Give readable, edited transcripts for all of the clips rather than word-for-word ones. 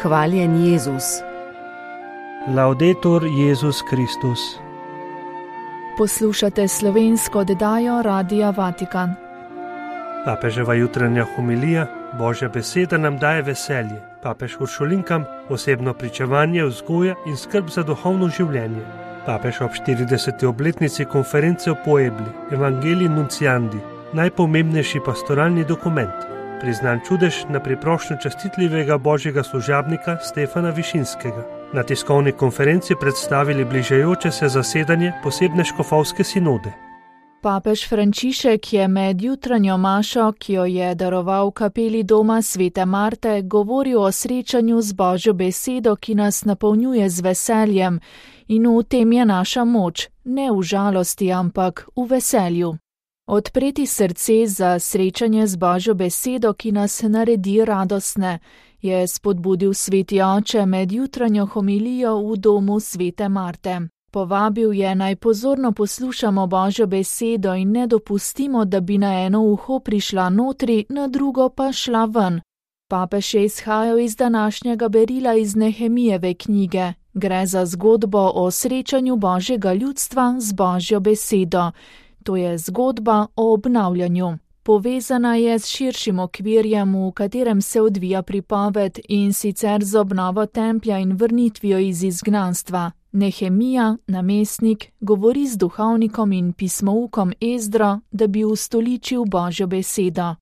Hvaljen Jezus. Laudetur Jezus Kristus. Poslušate slovensko oddajo Radia Vatikan. Papeževa jutranja homilija, Božja beseda nam daje veselje. Papež Uršulinkam osebno pričevanje, vzgoja in skrb za duhovno življenje. Papež ob 40. obletnici konference v Puebli, Evangelii Nunciandi, najpomembnejši pastoralni dokument, priznan čudež na priprošnjo častitljivega božjega služabnika Stefana Višinskega. Na tiskovni konferenci predstavili bližajoče se zasedanje posebne škofovske sinode. Papež Frančišek je med jutranjo mašo, ki jo je daroval v kapeli doma Svete Marte, govoril o srečanju z Božjo besedo, ki nas napolnjuje z veseljem, in v tem je naša moč, ne v žalosti, ampak v veselju. Odpreti srce za srečanje z Božjo besedo, ki nas naredi radostne, je spodbudil sveti oče med jutranjo homilijo v domu Svete Marte. Povabil je, naj pozorno poslušamo Božjo besedo in ne dopustimo, da bi na eno uho prišla notri, na drugo pa šla ven. Papež je izhajal iz današnjega berila iz Nehemijeve knjige. Gre za zgodbo o srečanju Božjega ljudstva z Božjo besedo. To je zgodba o obnavljanju. Povezana je s širšim okvirjem, v katerem se odvija pripoved, in sicer z obnovo templja in vrnitvijo iz izgnanstva. Nehemija, namestnik, govori z duhovnikom in pismoukom Ezdro, da bi ustoličil Božjo besedo.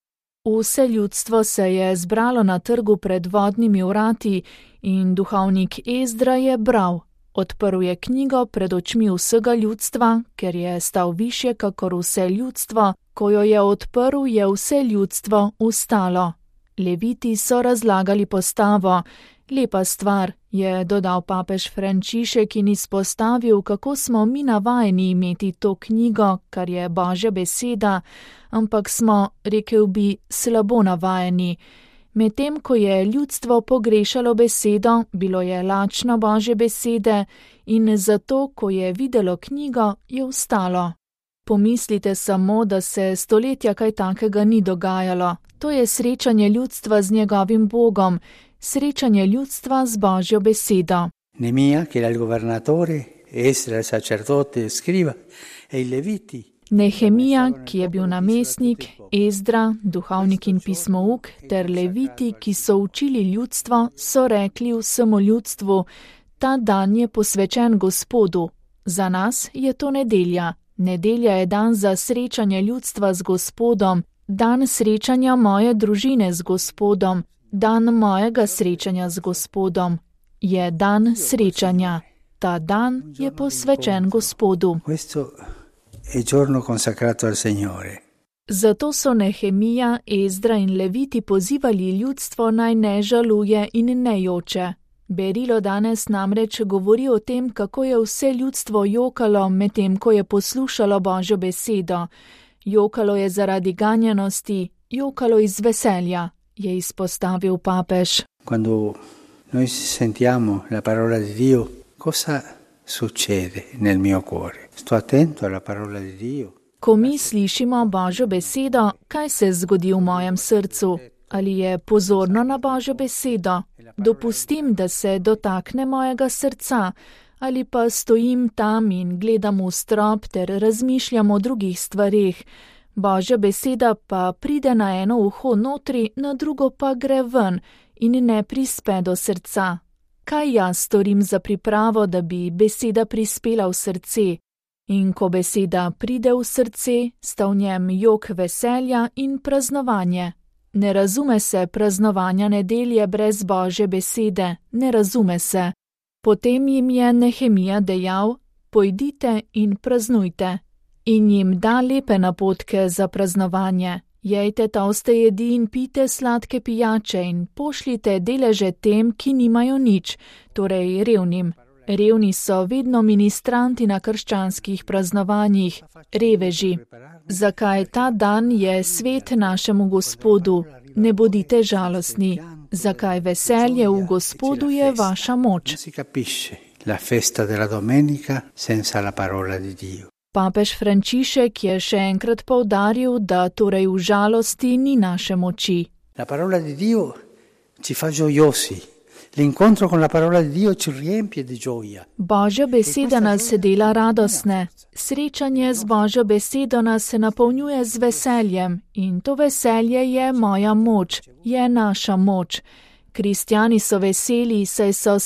Vse ljudstvo se je zbralo na trgu pred vodnimi vrati in duhovnik Ezdra je bral. Odprl je knjigo pred očmi vsega ljudstva, ker je stal višje kakor vse ljudstvo. Ko jo je odprl, je vse ljudstvo vstalo. Leviti so razlagali postavo. Lepa stvar, je dodal papež Frančišek in izpostavil, kako smo mi navajeni imeti to knjigo, kar je Božja beseda, ampak smo, rekel bi, slabo navajeni. Medtem ko je ljudstvo pogrešalo besedo, bilo je lačno Božje besede in zato, ko je videlo knjigo, je vstalo. Pomislite samo, da se stoletja kaj takega ni dogajalo. To je srečanje ljudstva z njegovim Bogom, srečanje ljudstva z Božjo besedo. Nehemija, ki je bil governatore, Ezra, sacerdote, skriva, in leviti. Nehemija, ki je bil namestnik, Ezdra, duhovnik in pismouk, ter leviti, ki so učili ljudstvo, so rekli vsemu ljudstvu: ta dan je posvečen Gospodu. Za nas je to nedelja. Nedelja je dan za srečanje ljudstva z Gospodom, dan srečanja moje družine z Gospodom, dan mojega srečanja z Gospodom. Je dan srečanja. Ta dan je posvečen Gospodu. È giorno consacrato al Signore. Zato so Nehemija, Ezdra in leviti pozivali ljudstvo, naj ne žaluje in ne joče. Berilo danes namreč govori o tem, kako je vse ljudstvo jokalo, medtem ko je poslušalo Božjo besedo. Jokalo je zaradi ganjenosti, jokalo iz veselja, je izpostavil papež. Quando noi sentiamo la parola di Dio, cosa succede nel mio cuore? Sto attento alla parola di Dio. Ko mi slišimo Božjo besedo, kaj se zgodi v mojem srcu? Ali je pozorno na Božjo besedo? Dopustim, da se dotakne mojega srca, ali pa stojim tam in gledam v strop ter razmišljam o drugih stvareh. Božja beseda pa pride na eno uho notri, na drugo pa gre ven in ne prispe do srca. Kaj jaz storim za pripravo, da bi beseda prispela v srce? In ko beseda pride v srce, sta v njem jok veselja in praznovanje. Ne razume se praznovanja nedelje brez Božje besede, ne razume se. Potem jim je Nehemija dejal: pojdite in praznujte. In jim da lepe napotke za praznovanje. Jejte toste jedi in pite sladke pijače in pošljite deleže tem, ki nimajo nič, torej revnim. Revni so vedno ministranti na krščanskih praznovanjih, reveži. Zakaj ta dan je svet našemu Gospodu? Ne bodite žalostni. Zakaj veselje v Gospodu je vaša moč? La festa della domenica senza la parola di Dio. Papež Frančišek je še enkrat poudaril, da torej v žalosti ni naše moči. La parola di Dio ci fa gioiosi. L'incontro con la parola di Dio ci riempie di gioia. Božja beseda nas dela radostne. Srečanje z Božjo besedo nas napolnjuje z veseljem in to veselje je moja moč, je naša moč. Kristjani so veseli, saj so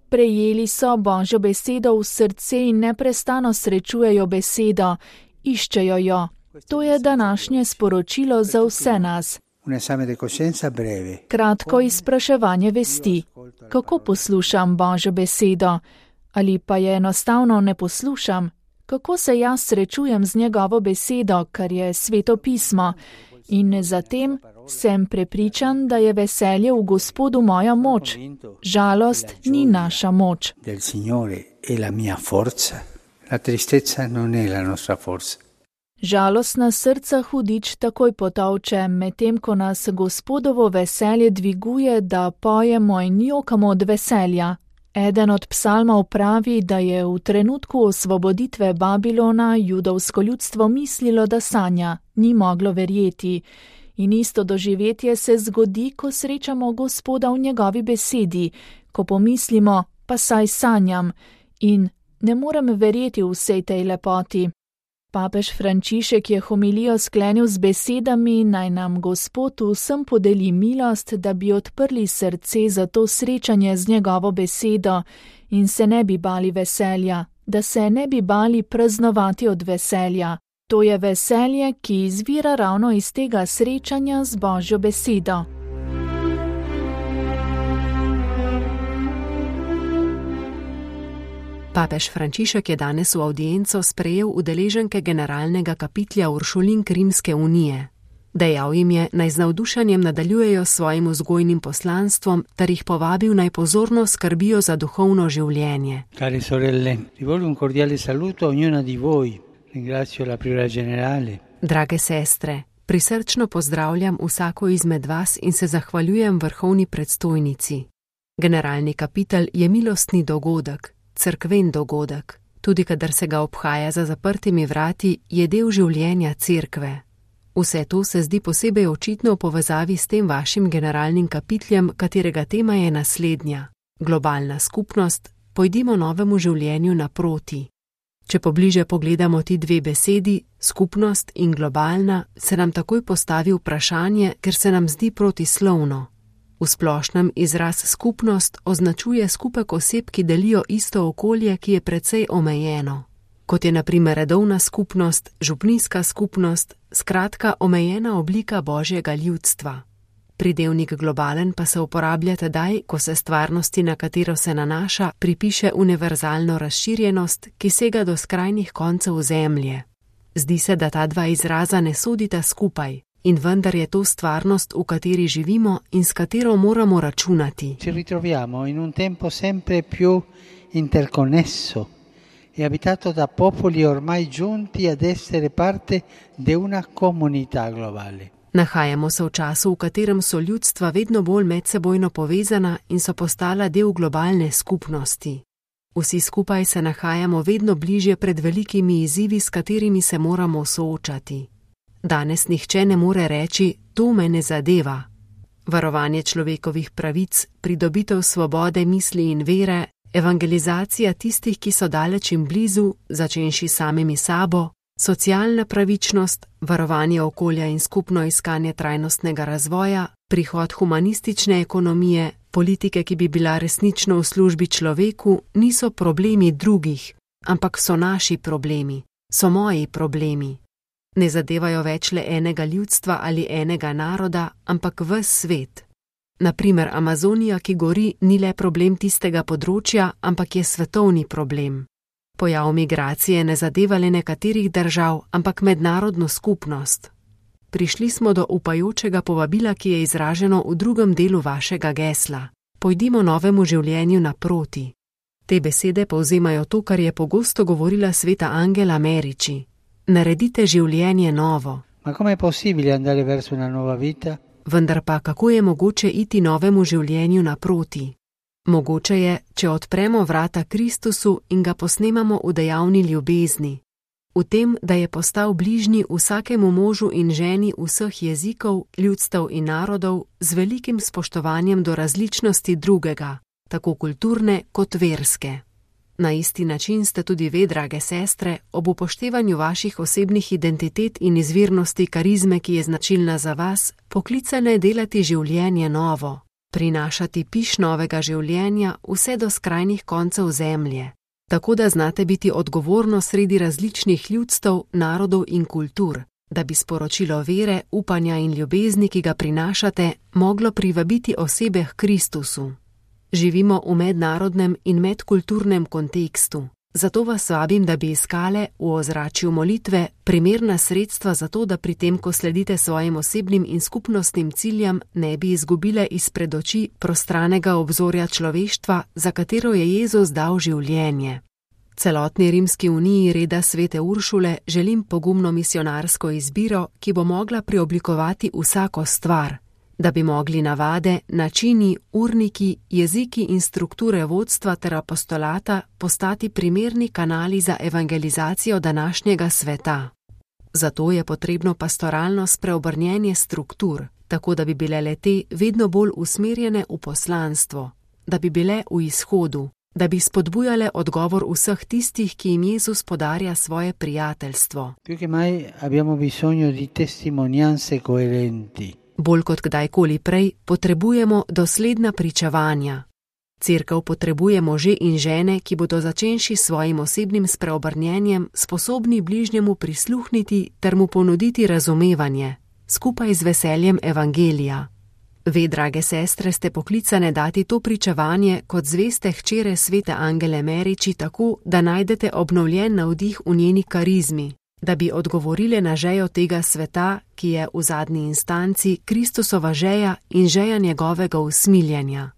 prejeli so Božjo besedo v srce in neprestano srečujejo besedo, iščejo jo. To je današnje sporočilo za vse nas. Kratko izpraševanje vesti. Kako poslušam Božjo besedo? Ali pa je enostavno ne poslušam? Kako se jaz srečujem z njegovo besedo, kar je Sveto pismo? In zatem sem prepričan, da je veselje v Gospodu moja moč. Žalost ni naša moč. Žalostna srca hudič takoj potolče, medtem ko nas Gospodovo veselje dviguje, da pojemo in jokamo od veselja. Eden od psalmov pravi, da je v trenutku osvoboditve Babilona judovsko ljudstvo mislilo, da sanja, ni moglo verjeti. In isto doživetje se zgodi, ko srečamo Gospoda v njegovi besedi, ko pomislimo, pa saj sanjam in ne morem verjeti v vsej tej lepoti. Papež Frančišek je homilijo sklenil z besedami, naj nam Gospod vsem podeli milost, da bi odprli srce za to srečanje z njegovo besedo in se ne bi bali veselja, da se ne bi bali praznovati od veselja. To je veselje, ki izvira ravno iz tega srečanja z Božjo besedo. Papež Frančišek je danes v avdienco sprejel udeleženke generalnega kapitlja Uršulink Rimske unije. Dejal jim je, naj z navdušenjem nadaljujejo svojim vzgojnim poslanstvom, ter jih povabil, naj pozorno skrbijo za duhovno življenje. Care sorelle, rivolgo un cordiale saluto a ognuna di voi. Ringrazio la priora generale. Drage sestre, prisrčno pozdravljam vsako izmed vas in se zahvaljujem vrhovni predstojnici. Generalni kapitel je milostni dogodek, cerkven dogodek. Tudi kadar se ga obhaja za zaprtimi vrati, je del življenja cerkve. Vse to se zdi posebej očitno v povezavi s tem vašim generalnim kapitljem, katerega tema je naslednja. Globalna skupnost, pojdimo novemu življenju naproti. Če pobliže pogledamo ti dve besedi, skupnost in globalna, se nam takoj postavi vprašanje, ker se nam zdi protislovno. V splošnem izraz skupnost označuje skupek oseb, ki delijo isto okolje, ki je precej omejeno. Kot je na primer redovna skupnost, župnijska skupnost, skratka omejena oblika Božjega ljudstva. Pridevnik globalen pa se uporablja tedaj, ko se stvarnosti, na katero se nanaša, pripiše univerzalno razširjenost, ki sega do skrajnih koncev zemlje. Zdi se, da ta dva izraza ne sodita skupaj, in vendar je to stvarnost, v kateri živimo in s katero moramo računati. Ci ritroviamo in un tempo sempre più interconnesso e abitato da popoli ormai giunti ad essere parte di una comunità globale. Nahajamo se v času, v katerem so ljudstva vedno bolj medsebojno povezana in so postala del globalne skupnosti. Vsi skupaj se nahajamo vedno bližje pred velikimi izzivi, s katerimi se moramo soočati. Danes nihče ne more reči, to me ne zadeva. Varovanje človekovih pravic, pridobitev svobode misli in vere, evangelizacija tistih, ki so daleč in blizu, začenši samimi sabo, socialna pravičnost, varovanje okolja in skupno iskanje trajnostnega razvoja, prihod humanistične ekonomije, politike, ki bi bila resnično v službi človeku, niso problemi drugih, ampak so naši problemi, so moji problemi. Ne zadevajo več le enega ljudstva ali enega naroda, ampak ves svet. Naprimer, Amazonija, ki gori, ni le problem tistega področja, ampak je svetovni problem. Pojav migracije ne zadeva le nekaterih držav, ampak mednarodno skupnost. Prišli smo do upajočega povabila, ki je izraženo v drugem delu vašega gesla. Pojdimo novemu življenju naproti. Te besede povzemajo to, kar je pogosto govorila sveta Angela Merici. Naredite življenje novo. Ma come è possibile andare verso una nuova vita? Vendar pa, kako je mogoče iti novemu življenju naproti? Mogoče je, če odpremo vrata Kristusu in ga posnemamo v dejavni ljubezni. V v tem, da je postal bližnji vsakemu možu in ženi vseh jezikov, ljudstev in narodov z velikim spoštovanjem do različnosti drugega, tako kulturne kot verske. Na isti način ste tudi ve, drage sestre, ob upoštevanju vaših osebnih identitet in izvirnosti karizme, ki je značilna za vas, poklicane delati življenje novo, prinašati piš novega življenja vse do skrajnih koncev zemlje, tako da znate biti odgovorno sredi različnih ljudstev, narodov in kultur, da bi sporočilo vere, upanja in ljubezni, ki ga prinašate, moglo privabiti osebe k Kristusu. Živimo v mednarodnem in medkulturnem kontekstu, zato vas vabim, da bi iskale v ozračju molitve primerna sredstva za to, da pri tem, ko sledite svojim osebnim in skupnostnim ciljem, ne bi izgubile izpred oči prostranega obzorja človeštva, za katero je Jezus dal življenje. Celotni Rimski uniji reda svete Uršule želim pogumno misionarsko izbiro, ki bo mogla preoblikovati vsako stvar, da bi mogli navade, načini, urniki, jeziki in strukture vodstva ter apostolata postati primerni kanali za evangelizacijo današnjega sveta. Zato je potrebno pastoralno spreobrnjenje struktur, tako da bi bile le-te vedno bolj usmerjene v poslanstvo, da bi bile v izhodu, da bi spodbujale odgovor vseh tistih, ki jim Jezus podarja svoje prijateljstvo. Più che mai abbiamo bisogno di testimonianze coerenti. Bolj kot kdajkoli prej potrebujemo dosledna pričevanja. Cerkev potrebuje može in žene, ki bodo začenši s svojim osebnim spreobrnjenjem sposobni bližnjemu prisluhniti ter mu ponuditi razumevanje, skupaj z veseljem evangelija. Ve, drage sestre, ste poklicane dati to pričevanje kot zveste hčere svete Angele Meriči tako, da najdete obnovljen navdih v njeni karizmi, da bi odgovorile na žejo tega sveta, ki je v zadnji instanci Kristusova žeja in žeja njegovega usmiljenja.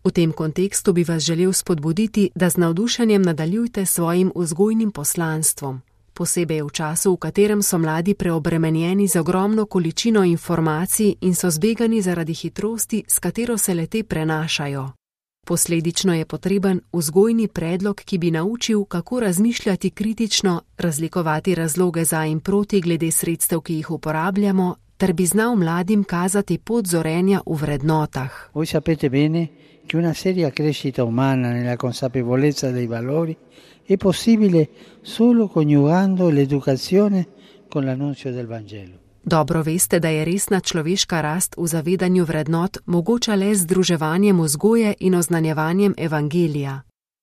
V tem kontekstu bi vas želel spodbuditi, da z navdušenjem nadaljujte svojim vzgojnim poslanstvom, posebej v času, v katerem so mladi preobremenjeni z ogromno količino informacij in so zbegani zaradi hitrosti, s katero se le-te prenašajo. Posledično je potreben vzgojni predlog, ki bi naučil, kako razmišljati kritično, razlikovati razloge za in proti glede sredstev, ki jih uporabljamo, ter bi znal mladim kazati pot zorenja v vrednotah. Voi sapete bene che una seria crescita umana nella consapevolezza dei valori è possibile solo coniugando l'educazione con l'annunzio del Vangelo. Dobro veste, da je resna človeška rast v zavedanju vrednot mogoča le z združevanjem vzgoje in oznanjevanjem evangelija.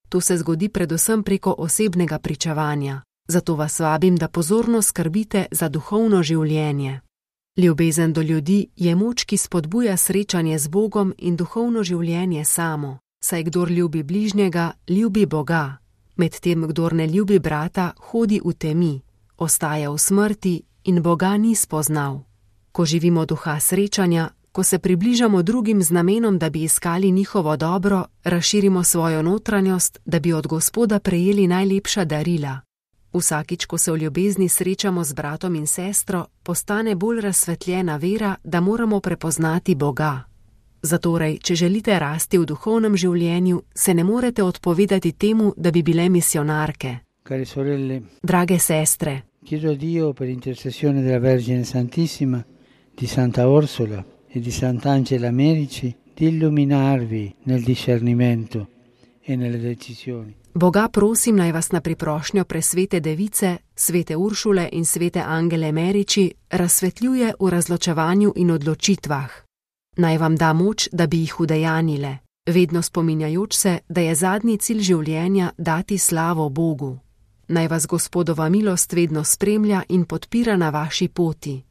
To se zgodi predvsem preko osebnega pričevanja. Zato vas vabim, da pozorno skrbite za duhovno življenje. Ljubezen do ljudi je moč, ki spodbuja srečanje z Bogom in duhovno življenje samo, saj kdor ljubi bližnjega, ljubi Boga. Medtem, kdor ne ljubi brata, hodi v temi, ostaja v smrti in Boga ni spoznal. Ko živimo duha srečanja, ko se približamo drugim z namenom, da bi iskali njihovo dobro, razširimo svojo notranjost, da bi od Gospoda prejeli najlepša darila. Vsakič, ko se v ljubezni srečamo z bratom in sestro, postane bolj razsvetljena vera, da moramo prepoznati Boga. Zatorej, če želite rasti v duhovnem življenju, se ne morete odpovedati temu, da bi bile misionarke. Care sorelle, drage sestre, chiedo a Dio per intercessione della Vergine Santissima, di Santa Orsola e di Sant'Angela Merici, di illuminarvi nel discernimento e nelle decisioni. Boga prosim, naj vas na priprošnjo presvete device, svete Uršule in svete Angele Meriči razsvetljuje v razločevanju in odločitvah. Naj vam da moč, da bi jih udejanile, vedno spominjajoč se, da je zadnji cilj življenja dati slavo Bogu. Naj vas Gospodova milost vedno spremlja in podpira na vaši poti.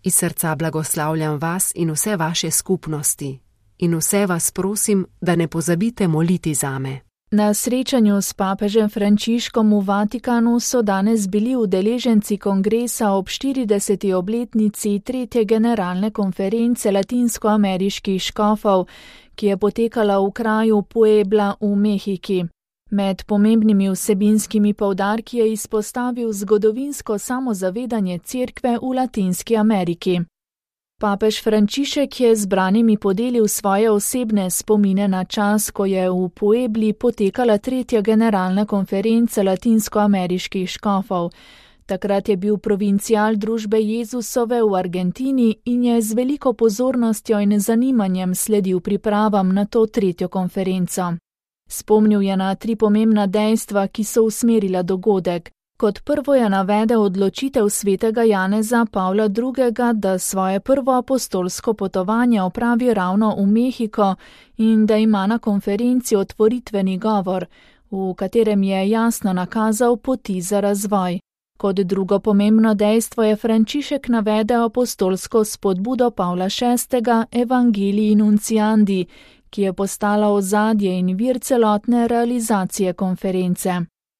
Iz srca blagoslavljam vas in vse vaše skupnosti. In vse vas prosim, da ne pozabite moliti zame. Na srečanju s papežem Frančiškom v Vatikanu so danes bili udeleženci kongresa ob 40. obletnici 3. generalne konference latinskoameriških škofov, ki je potekala v kraju Puebla v Mehiki. Med pomembnimi vsebinskimi poudarki je izpostavil zgodovinsko samozavedanje Cerkve v Latinski Ameriki. Papež Frančišek je zbranimi podelil svoje osebne spomine na čas, ko je v Puebli potekala 3. generalna konferenca latinskoameriških škofov. Takrat je bil provincial družbe Jezusove v Argentini in je z veliko pozornostjo in zanimanjem sledil pripravam na to 3. konferenco. Spomnil je na 3 pomembna dejstva, ki so usmerila dogodek. Kot prvo je navedel odločitev svetega Janeza Pavla II., da svoje prvo apostolsko potovanje opravi ravno v Mehiko in da ima na konferenci otvoritveni govor, v katerem je jasno nakazal poti za razvoj. Kot drugo pomembno dejstvo je Frančišek navedel apostolsko spodbudo Pavla VI. Evangelii Nunciandi, ki je postala ozadje in vir celotne realizacije konference.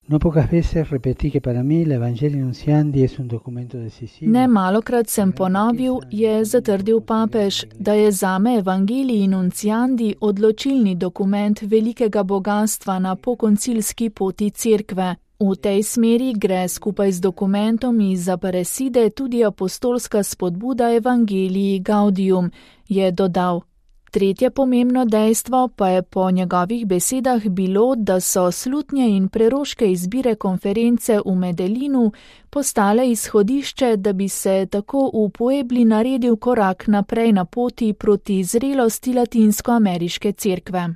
No pocas veces repetí que para mí el Evangelii Nunciandi es un documento decisivo. Ne malokrat sem ponovil, je zatrdil papež, da je zame Evangelii Nunciandi odločilni dokument velikega bogatstva na pokoncilski poti cerkve. V tej smeri gre skupaj z dokumentom iz Aparecide tudi apostolska spodbuda Evangelii Gaudium, je dodal. Tretje pomembno dejstvo pa je po njegovih besedah bilo, da so slutnje in preroške izbire konference v Medellinu postale izhodišče, da bi se tako v Puebli naredil korak naprej na poti proti zrelosti latinskoameriške cerkve.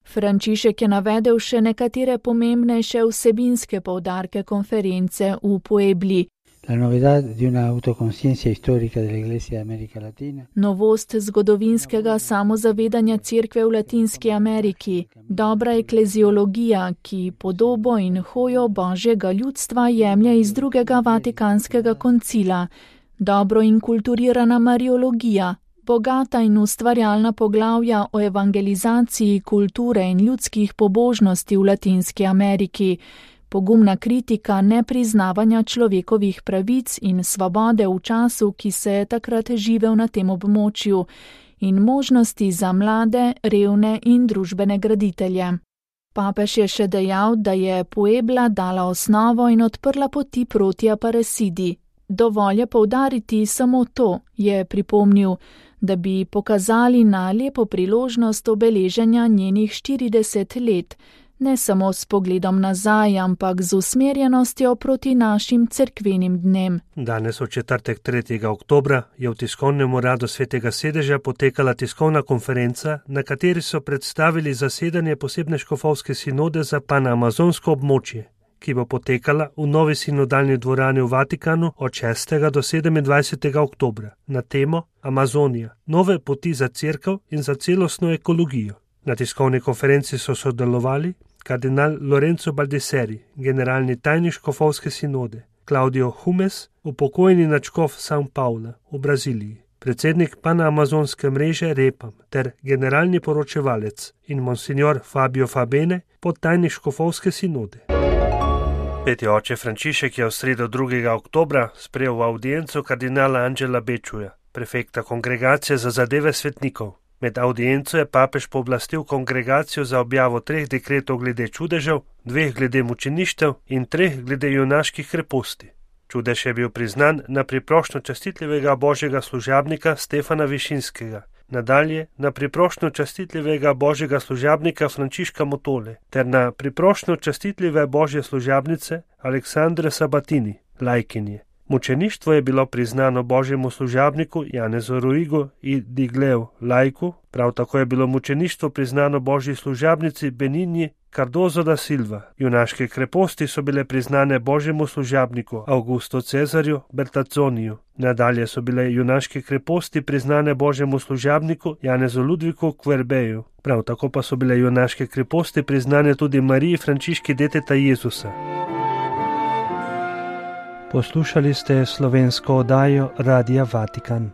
Frančišek je navedel še nekatere pomembnejše vsebinske poudarke konference v Puebli. La novedad de una autoconciencia histórica de la Iglesia de América Latina. Novost zgodovinskega samozavedanja cerkve v Latinski Ameriki, dobra ekleziologija, ki podobo in hojo božjega ljudstva jemlje iz 2. Vatikanskega koncila, dobro inkulturirana mariologija, bogata in ustvarjalna poglavja o evangelizaciji kulture in ljudskih pobožnosti v Latinski Ameriki, pogumna kritika nepriznavanja človekovih pravic in svobode v času, ki se je takrat živel na tem območju, in možnosti za mlade, revne in družbene graditelje. Papež je še dejal, da je Puebla dala osnovo in odprla poti proti Aparecidi. Dovolj je poudariti samo to, je pripomnil, da bi pokazali na lepo priložnost obeleženja njenih 40 let, ne samo s pogledom nazaj, ampak z usmerjenostjo proti našim cerkvenim dnem. Danes v četrtek 3. oktobra je v tiskovnem uradu Svetega sedeža potekala tiskovna konferenca, na kateri so predstavili zasedanje posebne škofovske sinode za panamazonsko območje, ki bo potekala v novi sinodalni dvorani v Vatikanu od 6. do 27. oktobra na temo Amazonija, nove poti za cerkev in za celostno ekologijo. Na tiskovni konferenci so sodelovali kardinal Lorenzo Baldisseri, generalni tajnik škofovske sinode, Claudio Humes, upokojeni nadškof São Paula v Braziliji, predsednik panamazonske mreže Repam ter generalni poročevalec in monsignor Fabio Fabene, podtajnik škofovske sinode. Sveti oče Frančišek je v sredo 2. oktobra sprejel v audienco kardinala Angela Bečuja, prefekta kongregacije za zadeve svetnikov. Med audienco je papež pooblastil kongregacijo za objavo 3 dekretov glede čudežev, 2 glede mučeništev in 3 glede junaških kreposti. Čudež je bil priznan na priprošnjo častitljivega božjega služabnika Stefana Višinskega, nadalje na priprošnjo častitljivega božjega služabnika Frančiška Motole ter na priprošnjo častitljive božje služabnice Aleksandre Sabatini, lajkinje. Mučeništvo je bilo priznano božjemu služabniku Janezu Ruigu i Digleu, lajku, prav tako je bilo mučeništvo priznano božji služabnici Beninji Cardozo da Silva. Junaške kreposti so bile priznane božjemu služabniku Augusto Cezarju Bertazzoniju. Nadalje so bile junaške kreposti priznane božjemu služabniku Janezu Ludviku Kverbeju. Prav tako pa so bile junaške kreposti priznane tudi Mariji Frančiški deteta Jezusa. Poslušali ste slovensko oddajo Radia Vatikan.